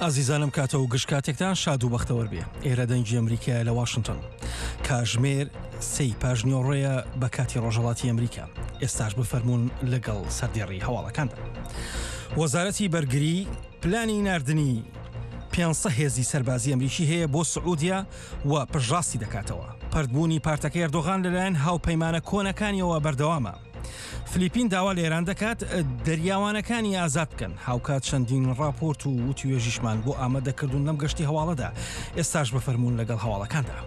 ئازیزانم کاتە و گشت کاتێکتان شاد و بەختەوەر بێ ئێرە دەنگی ئەمریکایە لە واشنتۆن کاژمێر سێی پاژنیۆڕۆیە بە کاتی ڕۆژهەڵاتی ئەمریکا ئێستاش بفەرمونون لەگەڵ سەردێڕی هەواڵەکاندا وەزارەتی بەرگری پلانی ناردنی 500 هێزی سەربازی ئەمریکی هەیە بۆ سعودیا و پشتڕاستی دەکاتەوە پەرتبوونی پارتەکەی ئەردۆغان لەلایەن هاوپەیمانە کۆنەکانیەوە بەردەوامە. فلیپین داوا لە ئێران دەکات دەریاوانەکانی ئازاد بکەن هاوکات چەندین ڕاپۆرت و وتوێژیشمان بۆ ئامادە کردوون لەم گەشتی هەواڵەدا ئێستاش بفەرموون لەگەڵ هەواڵەکاندا.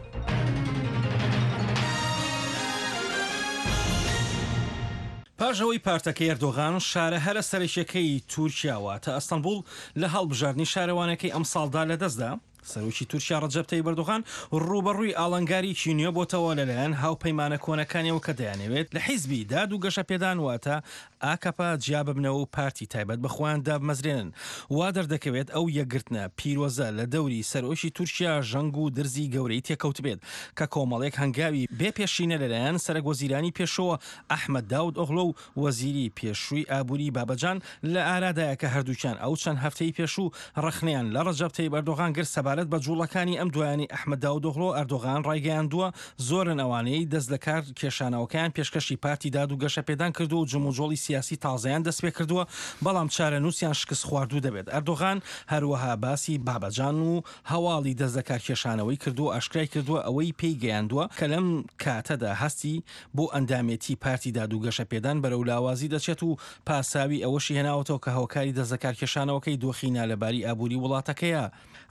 پاش ئەوەی پارتەکەی ئەردۆغان شارە هەرە سەرەکیەکەی تورکیا واتە ئەستەنبوڵ لە هەڵبژاردنی شارەوانەکەی ئەمساڵدا لەدەستدا، سەرۆکی تورکیا ڕەجەب تەیب ئەردۆغان ڕووبەڕووی ئاڵنگاریی نوێ بۆتەوە لەلایەن هاوپەیمانە کۆنەکانیەوە کە دەیانەوێت لە حیزبی داد و گەشەپێدان واتە ئاکەپە جیا ببنەوە و پارتی تایبەت بە خۆیان دابمەزرێنن. وا دەردەکەوێت ئەو یەکگرتنە پیرۆزە لە دەوری سەرۆکی تورکیا ژەنگ و درزی گەورەی تێکەوتبێت کە کۆمەڵێک هەنگاوی بێ پێشینە لەلایەن سەرەکوەزیرانی پێشووەوە ئەحمەد داود ئۆغلۆ و وەزیری پێشووی ئابووری بابەجان لە ئارادایە کە هەردووکیان ئەو چەند هەفتەی پێشوو ڕەخنەیان لە ڕەجەب تەیب ئەردۆغان گرت سەبارەت بە جووڵەکانی ئەم دوایانەی ئەحمەد داودئۆغلۆ، ئەردۆغان ڕایگەیاندووە زۆرن ئەوانەی دەست لە کار کێشانەوەکەیان پێشکەشی پارتی داد و گەشەپێدان کردووە و جموجۆڵی سیاسی تازەیان دەستپێکردووە بەڵام چارەنووسیان شکستخواردوو دەبێت. ئەردۆغان هەروەها باسی بابەجان و هەواڵی دەست لە کارکێشانەوەی کردووە و ئاشکرای کردووە ئەوەی پێی گەیاندووە کە لەم کاتەدا هەستی بۆ ئەندامێتی پارتی داد و گەشەپێدان بەرەو لاوازی دەچێت و پاساوی ئەوەشی هێناوەتەوە کە هۆکاری دەستلەکارکێشانەوەکەی دۆخی نالەباری ئابووری وڵاتەکەیە.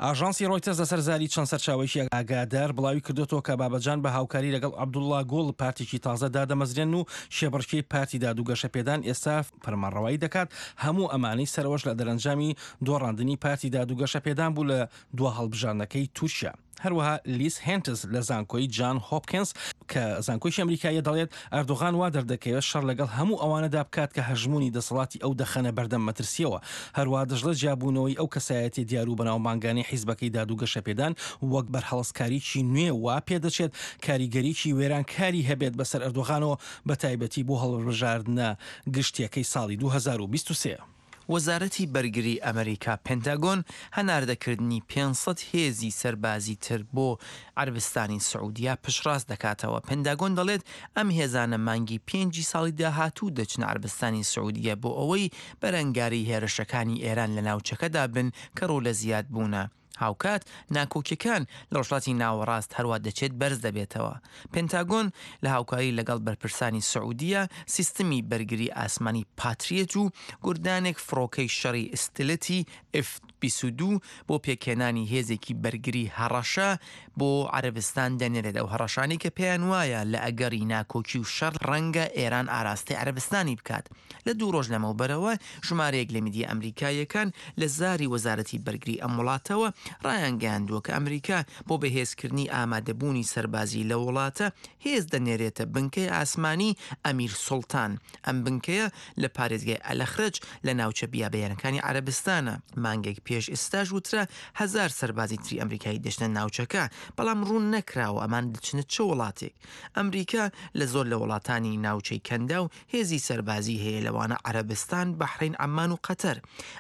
ئاژانسی ڕۆیتەرز لەسەر زاری چەند سەرچاوەیەکی ئاگادار بڵاوی کردۆتەوە کە بابەجان بە هاوکاری لەگەڵ عەبدوڵڵا گوڵ پارتێکی تازە دادەمەزرێنن و کێبڕکێی پارتی داد و گەشەپێدان ئێستا فەرمانڕەوایی دەکات، هەموو ئەمانەی سەرەوەش لە دەرەنجامی دۆڕاندنی پارتی داد و گەشەپێدان بوو لە دوا هەڵبژاردنەکەی تورکیا. هەروەها لیس هێنتز لە زانکۆی جان هۆپکینز کە زانکۆیەکی ئەمریکاییە دەڵێت، ئەردۆغان وا دەردەکەوێت شەڕ لەگەڵ هەموو ئەوانەدا بکات کە هەژموونی دەسەڵاتی ئەو دەخەنە بەردەم مەترسییەوە. هەروەها دەشڵێت جیابوونەوەی ئەو کەسایەتیە دیار و بەناوبانگانەی حیزبەکەی داد و گەشەپێدان وەک بەرهەڵستکاریی نوێ وا پێدەچێت کاریگەریی وێرانکاری هەبێت بەسەر ئەردۆغانەوە بەتایبەتی بۆ هەڵبژاردنە گشتییەکەی ساڵی 2023. وەزارەتی بەرگری ئەمریکا، پنتاگۆن، هەناردەکردنی 500 هێزی سەربازی تر بۆ عەرەبستانی سعودیە پشتڕاست دەکاتەوە. پنتاگۆن دەڵێت ئەم هێزانە مانگی پێنجی ساڵی داهاتوو دەچنە عەرەبستانی سعودیە بۆ ئەوەی بەرەنگاری هێرشەکانی ئێران لە ناوچەکەدا بن کە ڕوو لە زیادبوونە. هاوکات ناکۆکیەکان لە ڕۆژهەڵاتی ناوەڕاست هەروا دەچێت بەرز دەبێتەوە. پنتاگۆن لە هاوکاری لەگەڵ بەرپرسانی سعودیە سیستمی بەرگری ئاسمانی پاتریەت و گوردانێک فڕۆکەی شەڕی ستلتی ئێف 22 بۆ پێکهێنانی هێزێکی بەرگری هەڕەشە بۆ عەرەبستان دەنێرێت، ئەو هەڕەشانەی کە پێیان وایە لە ئەگەڕی ناکۆکی و شەڕ ڕەنگە ئێران ئاراستەی عەرەبستانی بکات. لە دوو ڕۆژ لەمەوبەرەوە ژمارەیەک لە میدیا ئەمریکاییەکان لە زاری وەزارەتی بەرگری ئەم وڵاتەوە ڕایانگەیاندووە کە ئەمریکا بۆ بەهێزکردنی ئامادەبوونی سەربازی لەو وڵاتە هێز دەنێرێتە بنکەی ئاسمانی ئەمیر سوڵتان. ئەم بنکەیە لە پارێزگای ئەلەخرەج لە ناوچە بیابەیانەکانی عەرەبستانە. مانگێک پێش ئێستاش وترا هەزار سەربازی تری ئەمریکایی دەچنە ناوچەکە، بەڵام ڕوون نەکراوە ئەمان دەچنە چ وڵاتێک. ئەمریکا لە زۆر لە وڵاتانی ناوچەی کەنداو هێزی سەربازی هەیە لەوانە عەرەبستان، بەحرەین، عەممان و قەتەر.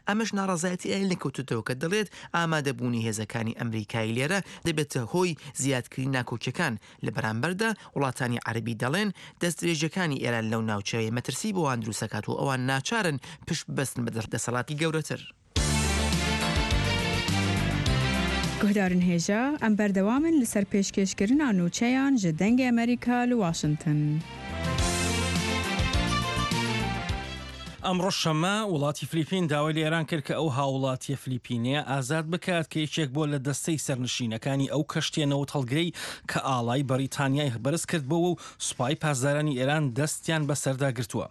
ئەمەش ناڕەزایەتی ئەوی لێکەوتۆتەوە کە دەڵێت ئامادەبوونی هێزەکانی ئەمریکایی لێرە دەبێتە هۆی زیادکردنی ناکۆکیەکان، لە بەرامبەردا وڵاتانی عەرەبی دەڵێن دەستدرێژیەکانی ئێران لەو ناوچەیە مەترسی بۆ وان دروستدەکات و ئەوان ناچارن پشت ببەستن بە دەسەڵاتی گەورەتر. Guhdarên hêja, em berdewam in li ser pêşkêşkirina nûçeyan ji Dengê Amerîka li Washington. ئەمڕۆ شەممە، وڵاتی فلیپین داوای لە ئێران کرد کە ئەو هاوڵاتییە فلیپینەیە ئازاد بکات کە یەکێک بووە لە دەستەی سەرنشینەکانی ئەو کەشتییە نەوتهەڵگرەی کە ئاڵای بەریتانیای بەرزکردبۆوە و سوپای پاسدارانی ئێران دەستیان بەسەردا گرتووە.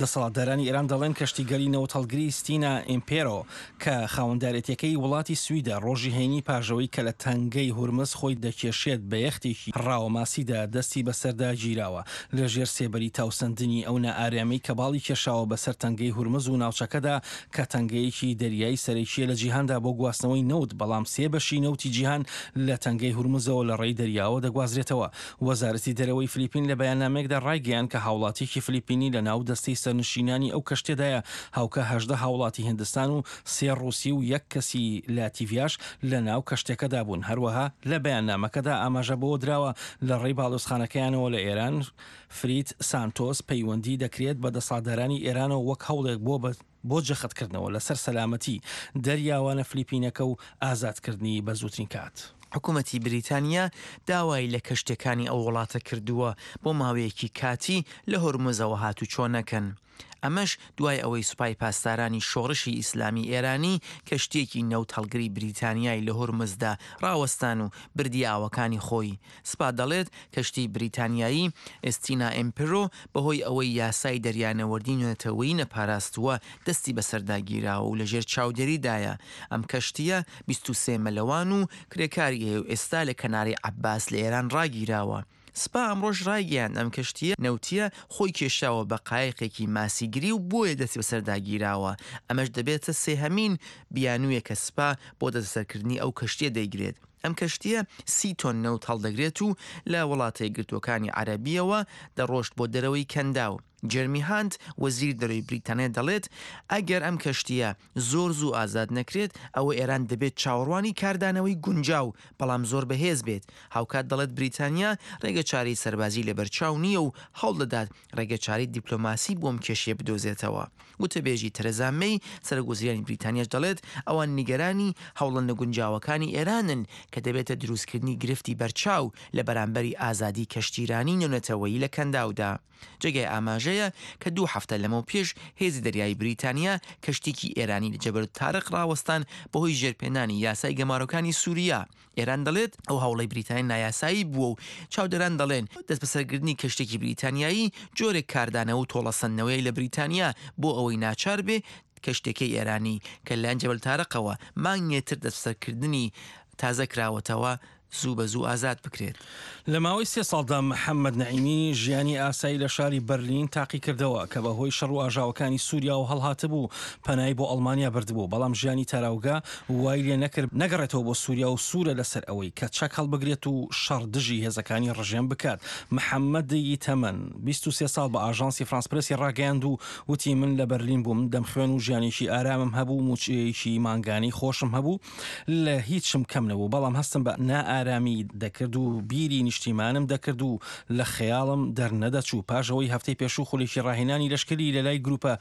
دەسەڵاتدارانی ئێران دەڵێن کەشتیگەلی نەوتهەڵگری ستینا ئیمپێرۆ کە خاوەندارێتیەکەی وڵاتی سویدە ڕۆژی هەینی پاش ئەوەی کە لە تەنگەی هورمز خۆی دەکێشێت بە یەختێکی ڕاوەماسیدا دەستی بەسەردا گیراوە لە ژێر سێبەری تاوسەندنی ئەو نائارامیەی کە باڵی کێشاوە بەسەر تەنگەی. تەنگەی هورمز و ناوچەکەدا کە تەنگەیەکی دەریایی سەرەکییە لە جیهاندا بۆ گواستنەوەی نەوت، بەڵام سێ بەشی نەوتی جیهان لە تەنگەی هورمزەوە لە ڕێی دەریاوە دەگوازرێتەوە. وەزارەتی دەرەوەی فلیپین لە بەیاننامەیەکدا ڕایگەیاند کە هاوڵاتییەکی فلیپینی لە ناو دەستەی سەرنشینانی ئەو کەشتیەدایە، هاوکا 18 هاوڵاتی هندستان و سێ ڕووسی و یەک کەسی لاتیڤیاش لە ناو کەشتیەکەدا بوون. هەروەها لە بەیاننامەکەدا ئاماژە بەوە دراوە لە ڕێی باڵیۆزخانەکەیانەوە لە ئێران، فریت سانتۆس پەیوەندی دەکرێت بە دەسەڵاتدارانی ئێرانەوە وەک هەوڵێک بۆ بۆ جەختکردنەوە لەسەر سەلامەتی دەریاوانە فلیپینەکە و ئازادکردنی بە زووترین کات. حکومەتی بریتانیا داوای لە کەشتیەکانی ئەو وڵاتە کردووە بۆ ماوەیەکی کاتی لە هۆرمزەوە هاتوچۆ نەکەن. ئەمەش دوای ئەوەی سوپای پاسدارانی شۆڕشی ئیسلامی ئێرانی کەشتییەکی نەوتهەڵگری بریتانیای لە هورمزدا ڕاوەستان و بردیە ئاوەکانی خۆی. سپا دەڵێت کەشتی بریتانیایی ئێستینا ئێمپرۆ بەهۆی ئەوەی یاسای دەریانەوەردی نێونەتەوەیی نەپاراستووە دەستی بەسەردا گیراوە و لەژێر چاودێریدایە. ئەم کەشتییە 23 مەلەوان و کرێکاری هەیە و ئێستا لە کەناری عەباس لە ئێران ڕاگیراوە. سپا ئەمڕۆش ڕایگەیاند ئەم کەشتییە نەوتییە خۆی کێشاوە بە قایقێکی ماسیگری و بۆیە دەستی بەسەردا گیراوە، ئەمەش دەبێتە سێهەمین بیانوویە کە سپا بۆ دەستبەسەرکردنی ئەو کەشتییە دەیگرێت. ئەم کەشتییە سی تۆن نەوت هەڵدەگرێت و لە وڵاتەیەکگرتووەکانی عەرەبییەوە دەڕۆشت بۆ دەرەوەی کەنداو. جێرمی هانت، وەزیری دەرەوەی بریتانیا دەڵێت، ئەگەر ئەم کەشتییە زۆر زوو ئازاد نەکرێت، ئەوە ئێران دەبێت چاوەڕوانی کاردانەوەی گونجاو، بەڵام زۆر بەهێز بێت. هاوکات دەڵێت بریتانیا ڕێگەچارەی سەربازی لەبەرچاو نییە و هەوڵدەدات ڕێگەچارەی دیپلۆماسی بۆ ئەم کێشەیە بدۆزێتەوە. وتەبێژی تەرەزا مەی، سەرۆکوەزیرانی بریتانیاش دەڵێت، ئەوان نیگەرانی هەوڵە نەگونجاوەکانی ئێرانن کە دەبێتە دروستکردنی گرفتی بەرچاو لە بەرامبەری ئازادی کەشتیرانی نێونەتەوەیی لە کەنداودا. جێگای ئاماژەیە کە دوو هەفتە لەمەوپێش هێزی دەریایی بریتانیا کەشتیکی ئێرانی لە جەبەلتارق ڕاوەستان بەهۆی ژێرپێنانی یاسای گەمارۆکانی سوریا. ئێران دەڵێت ئەو هەوڵەی بریتانیا نایاسایی بووە و چاودێران دەڵێن دەستبەسەرگرتنی کەشتێکی بریتانیایی جۆرێک کاردانەوە و تۆڵەسەندنەوەیە لە بریتانیا بۆ ئەوەی ناچار بێ کەشتێکەی ئێرانی کە لەلایەن جەبەلتارقەوە مانگێ تر دەستبەسەرکردنی تازە کراوەتەوە زوو بە زوو ئازاد بکرێت. لە ماوەی سێ ساڵدا محەممەد نەعیمی ژیانی ئاسایی لە شاری بەرلین تاقیکردەوە کە بە هۆی شەڕ و ئاژاوەکانی سووریاوە هەڵهاتبوو، پەنای بۆ ئەڵمانیا بردبوو، بەڵام ژیانی تاراوگە وای لێ نەکرد نەگەڕێتەوە بۆ سووریا و سوورە لەسەر ئەوەی کە چەک هەڵبگرێت و شەڕ دژی هێزەکانی ڕژێم بکات. محەممەد ی تەمەن 23 ساڵ بە ئاژانسی فرانس پرێسی ڕاگەیاند و وتی من لە بەرلین بووم، دەمخوێن و ژیانێکی ئارامم هەبوو، مووچەیەکی مانگانەی خۆشم هەبوو، لە هیچم کەم نەبوو، بەڵام هەستم بە نائارامی دەکرد و بیری نیشتیمانم دەکرد و لە خەیاڵم دەرنەدەچوو. پاش ئەوەی هەفتەی پێشوو خولێکی ڕاهێنانی لەشکری لە لای گروپە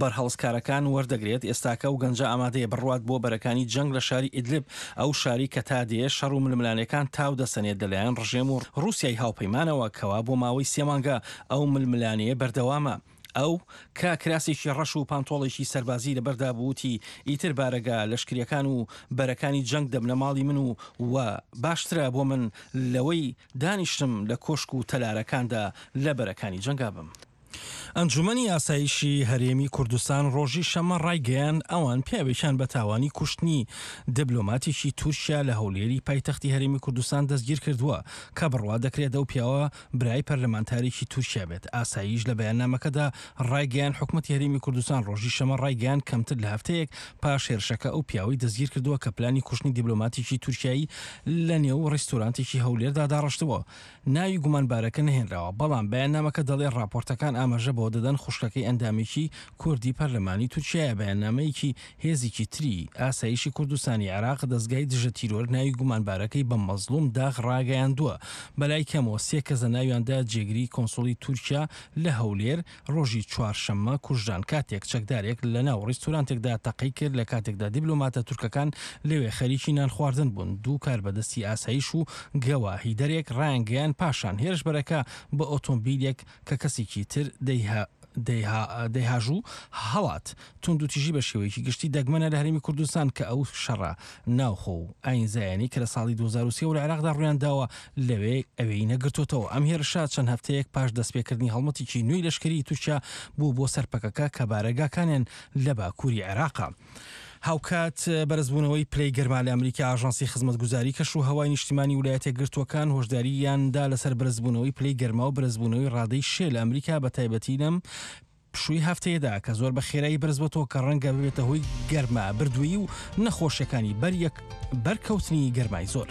بەرهەڵستکارەکان وەردەگرێت، ئێستاکە ئەو گەنجە ئامادەیە بڕوات بۆ بەرەکانی جەنگ لە شاری ئیدلب، ئەو شارەی کە تا دێ شەڕ و ململانێکان تاو دەسەنێت لەلایەن ڕژێم و ڕووسیای هاوپەیمانەوە، کەوا بۆ ماوەی سێ مانگە ئەو ململانێیە بەردەوامە. ئەو، کە کراسێکی ڕەش و پانتۆڵێکی سەربازی لەبەردا بوو، وتی، ئیتر بارەگا لەشکرییەکان و بەرەکانی جەنگ دەبنە ماڵی من و و باشترە بۆ من لەوەی دانیشتم لە کۆشک و تەلارەکاندا لە بەرەکانی جەنگا بم. ئەنجومەنی ئاسایشی هەرێمی کوردستان ڕۆژی شەممە ڕایگەیاند، ئەوان پیاوێکیان بە تاوانی کوشتنی دبلۆماتێکی تورکیا لە هەولێری پایتەختی هەرێمی کوردستان دەستگیرکردووە کە بڕوا دەکرێت ئەو پیاوە برای پەرلەمانتارێکی تورکیا بێت. ئاسایش لە بەیاننامەکەدا ڕایگەیاند، حکومەتی هەرێمی کوردستان ڕۆژی شەمە ڕایگەیاند کەمتر لە هەفتەیەک پاش هێرشەکە ئەو پیاوەی دەستگیرکردووە کە پلانی کوشتنی دیبلۆماتێکی تورکیایی لە نێو ڕیستورانتێکی هەولێردا داڕشتبوو. ناوی گومانبارەکە نەهێنراوە، بەڵام بەیاننامەکە دەڵێ ڕاپۆرتەکان ئاماژە بەوە دەدەن خوشکەکەی ئەندامێکی کوردی پەرلەمانی تورکیایە. بەیاننامەیەکی هێزیکی تری ئاسایشی کوردستانی عێراق دەزگای دژە تیرۆر ناوی گومانبارەکەی بە مەزڵوم داغ ڕاگەیاندووە. بەلای کەمەوە سێ کەس لە ناویاندا جێگری کۆنسوڵی تورکیا لە هەولێر ڕۆژی چوارشەممە کوژران کاتێک چەکدارێک لە ناو ڕیستورانتێکدا تەقەی کرد لە کاتێکدا دیبلۆماتە تورکەکان لەوێ خەریکی نانخواردن بوون. دوو کاربەدەستی ئاسایش و گەواهیدەرێک ڕایانگەیاند پاشان هێرشبەرەکە بە ئۆتۆمبیلێک کە کەسێکی تر دەیهاژوو هەڵات. توندوتیژی بە شێوەیەکی گشتی دەگمەنە لە هەرێمی کوردستان کە ئەو شەڕە ناوخۆ و ئایینزایانەی کە لە ساڵی 2003 وە لە عێراقدا ڕوویان داوە لەوێ ئەوێی نەگرتۆتەوە. ئەم هێرشە چەند هەفتەیەک پاش دەستپێکردنی هەڵمەتێکی نوێی لەشکریی تورکیا بوو بۆ سەر پەکەکە کە بارەگاکانیان لە باکووری عێراقە. هاوکات بەرزبوونەوەی پلەی گەرما لە ئەمریکا، ئاژانسی خزمەتگوزاری کەش و هەوای نیشتیمانی ولایەتە یەکگرتووەکان هۆشدارییان دا لەسەر بەرزبوونەوەی پلەی گەرما و بەرزبوونەوەی ڕادەی شێ لە ئەمریکا بەتایبەتی لەم. پشووی هەفتەیەدا کە زۆر بە خێرایی بەرزبۆتەوە کە ڕەنگە ببێتە هۆی گەرما بردوویی و نەخۆشیەکانی بەر یەک بەرکەوتنی گەرمای زۆر.